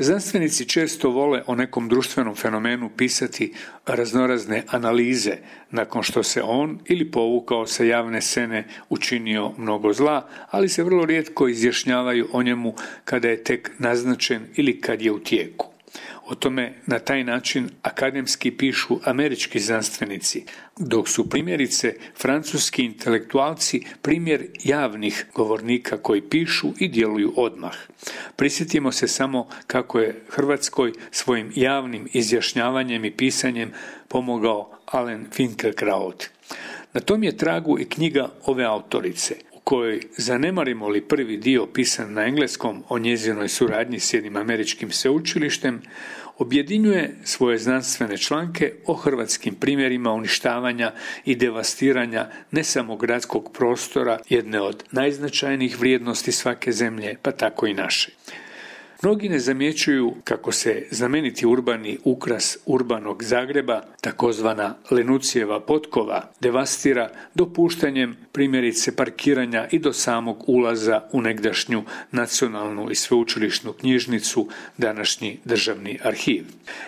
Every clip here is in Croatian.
Znanstvenici često vole o nekom društvenom fenomenu pisati raznorazne analize nakon što se on ili povukao sa javne scene učinio mnogo zla, ali se vrlo rijetko izjašnjavaju o njemu kada je tek naznačen ili kad je u tijeku. O tome na taj način akademski pišu američki znanstvenici, dok su primjerice francuski intelektualci primjer javnih govornika koji pišu i djeluju odmah. Prisjetimo se samo kako je Hrvatskoj svojim javnim izjašnjavanjem i pisanjem pomogao Alen Finkielkraut. Na tom je tragu i knjiga ove autorice, u kojoj, zanemarimo li prvi dio pisan na engleskom o njezinoj suradnji s jednim američkim sveučilištem, objedinjuje svoje znanstvene članke o hrvatskim primjerima uništavanja i devastiranja ne samo gradskog prostora, jedne od najznačajnijih vrijednosti svake zemlje, pa tako i naše. Mnogi ne zamjećuju kako se znameniti urbani ukras urbanog Zagreba, takozvana Lenucijeva potkova, devastira dopuštanjem primjerice parkiranja i do samog ulaza u negdašnju nacionalnu i sveučilišnu knjižnicu, današnji državni arhiv.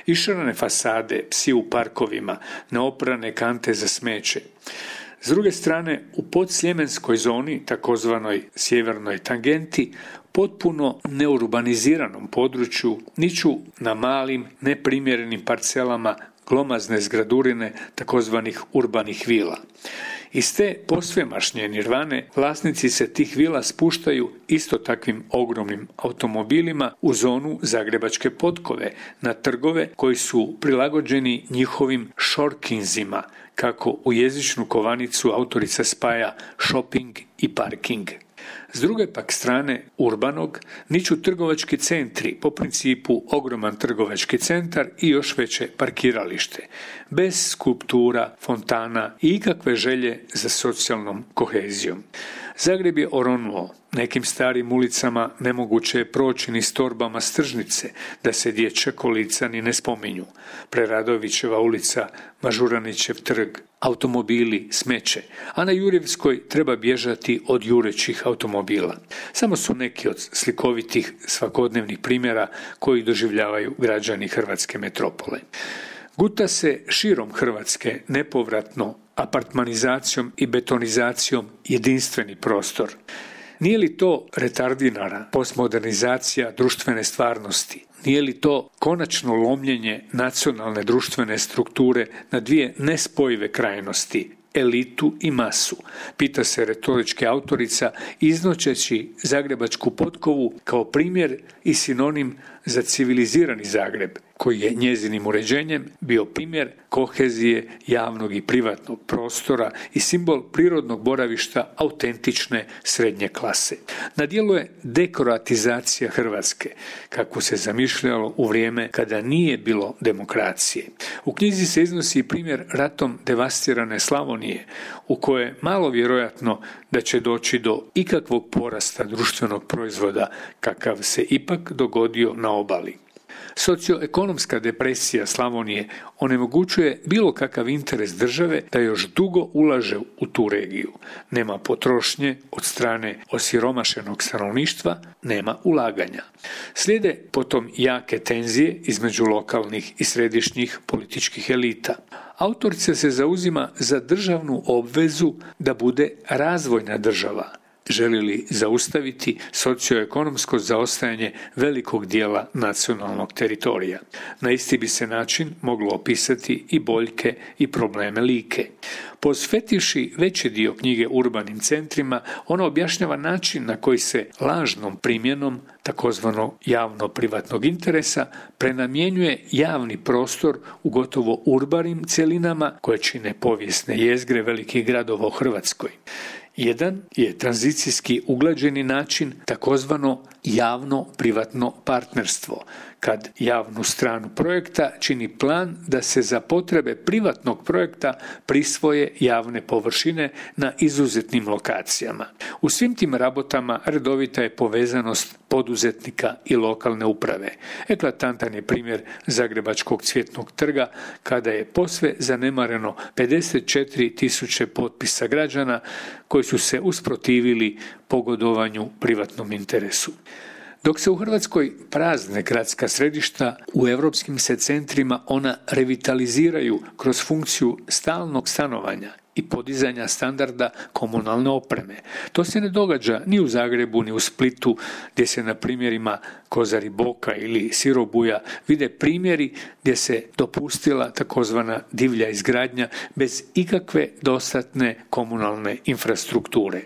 Išarane fasade, psi u parkovima, neoprane kante za smeće. S druge strane, u podsljemenskoj zoni, takozvanoj sjevernoj tangenti, potpuno neurbaniziranom području, niču na malim, neprimjerenim parcelama glomazne zgradurine takozvanih urbanih vila. Iz te posvemašnje nirvane vlasnici se tih vila spuštaju isto takvim ogromnim automobilima u zonu Zagrebačke potkove, na trgove koji su prilagođeni njihovim šorkinzima, kako u jezičnu kovanicu autorica spaja shopping i parking. S druge pak strane urbanog niču trgovački centri po principu ogroman trgovački centar i još veće parkiralište, bez skulptura, fontana i ikakve želje za socijalnom kohezijom. Zagreb je oronuo. Nekim starim ulicama nemoguće je proći ni s torbama s tržnice, da se dječja kolica ni ne spominju. Preradovićeva ulica, Mažuranićev trg, automobili, smeće, a na Jurjevskoj treba bježati od jurećih automobila. Samo su neki od slikovitih svakodnevnih primjera koji doživljavaju građani hrvatske metropole. Guta se širom Hrvatske nepovratno apartmanizacijom i betonizacijom jedinstveni prostor. Nije li to retardinara postmodernizacija društvene stvarnosti? Nije li to konačno lomljenje nacionalne društvene strukture na dvije nespojive krajnosti, elitu i masu? Pita se retorička autorica iznoćeći Zagrebačku potkovu kao primjer i sinonim za civilizirani Zagreb, koji je njezinim uređenjem bio primjer kohezije javnog i privatnog prostora i simbol prirodnog boravišta autentične srednje klase. Na djelu je dekroatizacija Hrvatske, kako se zamišljalo u vrijeme kada nije bilo demokracije. U knjizi se iznosi primjer ratom devastirane Slavonije, u kojoj je malo vjerojatno da će doći do ikakvog porasta društvenog proizvoda, kakav se ipak dogodio na obali. Socioekonomska depresija Slavonije onemogućuje bilo kakav interes države da još dugo ulaže u tu regiju. Nema potrošnje od strane osiromašenog stanovništva, nema ulaganja. Slijede potom jake tenzije između lokalnih i središnjih političkih elita. Autorica se zauzima za državnu obvezu da bude razvojna država. Želi li zaustaviti socioekonomsko zaostajanje velikog dijela nacionalnog teritorija? Na isti bi se način moglo opisati i boljke i probleme Like. Posvetivši veći dio knjige urbanim centrima, ona objašnjava način na koji se lažnom primjenom takozvano javno-privatnog interesa prenamjenjuje javni prostor u gotovo urbanim cjelinama koje čine povijesne jezgre velikih gradova u Hrvatskoj. Jedan je tranzicijski uglađeni način takozvano javno-privatno partnerstvo, kad javnu stranu projekta čini plan da se za potrebe privatnog projekta prisvoje javne površine na izuzetnim lokacijama. U svim tim rabotama redovita je povezanost poduzetnika i lokalne uprave. Eklatantan je primjer Zagrebačkog Cvjetnog trga, kada je posve zanemareno 54.000 potpisa građana koji su se usprotivili pogodovanju privatnom interesu. Dok se u Hrvatskoj prazne gradska središta, u europskim se centrima ona revitaliziraju kroz funkciju stalnog stanovanja i podizanja standarda komunalne opreme. To se ne događa ni u Zagrebu, ni u Splitu, gdje se na primjerima Kozari Boka ili Sirobuja vide primjeri gdje se dopustila takozvana divlja izgradnja bez ikakve dostatne komunalne infrastrukture.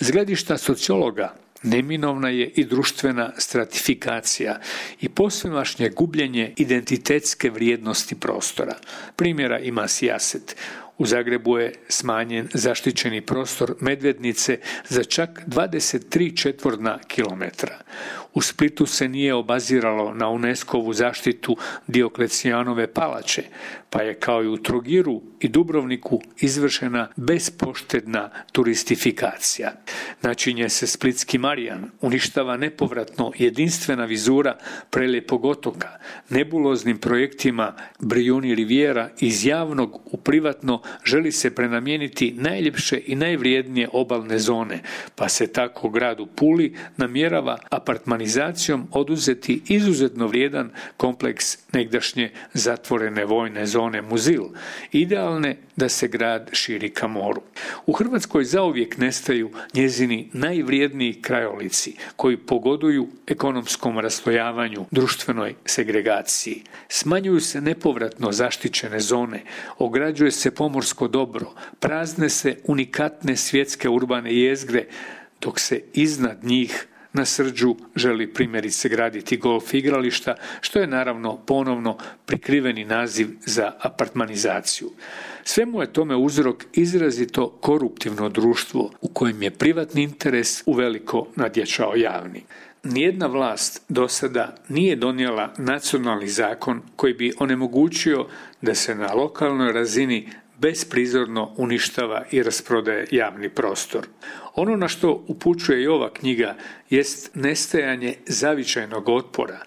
S gledišta sociologa neminovna je i društvena stratifikacija i posvemašnje gubljenje identitetske vrijednosti prostora. Primjera ima sijaset. U Zagrebu je smanjen zaštićeni prostor Medvednice za čak 23 četvorna kilometra. U Splitu se nije obaziralo na UNESCO-vu zaštitu Dioklecijanove palače, pa je kao i u Trogiru i Dubrovniku izvršena bespoštedna turistifikacija. Načinje se Splitski Marijan, uništava nepovratno jedinstvena vizura prelijepog otoka, nebuloznim projektima Brijuni Rivijera iz javnog u privatno želi se prenamijeniti najljepše i najvrijednije obalne zone, pa se tako grad u Puli namjerava apartmanizacijom oduzeti izuzetno vrijedan kompleks negdašnje zatvorene vojne zone Muzil, idealne da se grad širi ka moru. U Hrvatskoj zauvijek nestaju njezini najvrijedniji krajolici koji pogoduju ekonomskom raslojavanju, društvenoj segregaciji. Smanjuju se nepovratno zaštićene zone, ograđuje se pomorsko dobro, prazne se unikatne svjetske urbane jezgre, dok se iznad njih na Srđu želi primjerice graditi golf igrališta, što je naravno ponovno prikriveni naziv za apartmanizaciju. Svemu je tome uzrok izrazito koruptivno društvo u kojem je privatni interes uveliko nadjačao javni. Nijedna vlast do sada nije donijela nacionalni zakon koji bi onemogućio da se na lokalnoj razini besprizorno uništava i rasprodaje javni prostor. Ono na što upućuje i ova knjiga jest nestajanje zavičajnog otpora,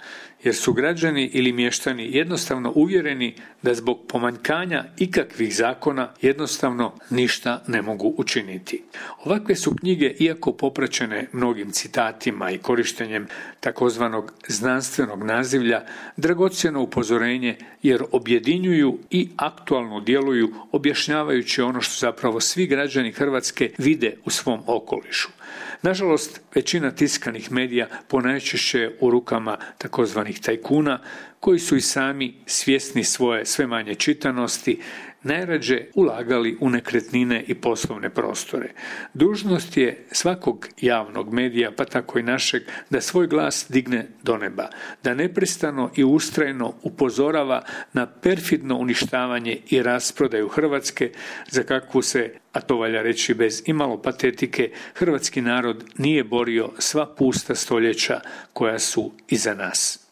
jer su građani ili mještani jednostavno uvjereni da zbog pomanjkanja ikakvih zakona jednostavno ništa ne mogu učiniti. Ovakve su knjige, iako popraćene mnogim citatima i korištenjem takozvanog znanstvenog nazivlja, dragocjeno upozorenje jer objedinjuju i aktualno djeluju objašnjavajući ono što zapravo svi građani Hrvatske vide u svom okolišu. Nažalost, većina tiskanih medija ponajčešće je u rukama takozvanih tajkuna koji su i sami svjesni svoje sve manje čitanosti, najrađe ulagali u nekretnine i poslovne prostore. Dužnost je svakog javnog medija, pa tako i našeg, da svoj glas digne do neba, da neprestano i ustrajno upozorava na perfidno uništavanje i rasprodaju Hrvatske, za kakvu se, a to valja reći bez imalo patetike, hrvatski narod nije borio sva pusta stoljeća koja su iza nas.